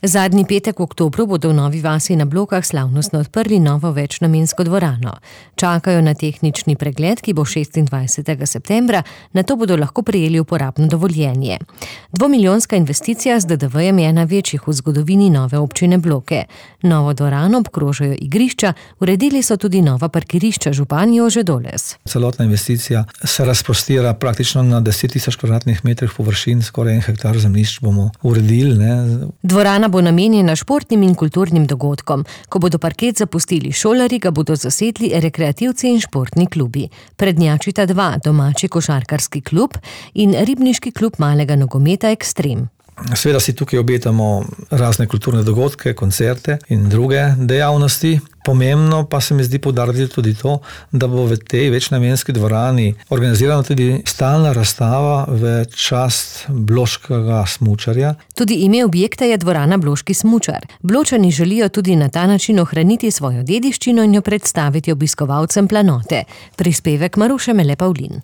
Zadnji petek v oktobru bodo v Novi vasi na Blokah slavnostno odprli novo večnamensko dvorano. Čakajo na tehnični pregled, ki bo 26. septembra, nato bodo lahko prejeli uporabno dovoljenje. 2-milijonska investicija z DDV-jem je ena večjih v zgodovini nove občine Bloke. Novo dvorano obkrožajo igrišča, uredili so tudi nova parkirišča, župan Jože Doles. Celotna investicija se razprostira praktično na 10.000 kvadratnih metrih površin, skoraj 1 hektar zemljišč bomo uredili. Dvorana bo namenjena športnim in kulturnim dogodkom. Ko bodo parket zapustili šolarji, ga bodo zasedli rekreativci in športni klubi. Prednjačita 2, domači košarkarski klub in ribniški klub malega nogometa Ekstrem. Seveda si tukaj obetamo razne kulturne dogodke, koncerte in druge dejavnosti. Pomembno pa se mi zdi poudariti tudi to, da bo v tej večnamenski dvorani organizirana tudi stalna razstava v čast bloškega smučarja. Tudi ime objekta je dvorana Bloški smučar. Bločani želijo tudi na ta način ohraniti svojo dediščino in jo predstaviti obiskovalcem Planote. Prispevek Maruše Mele Pavlin.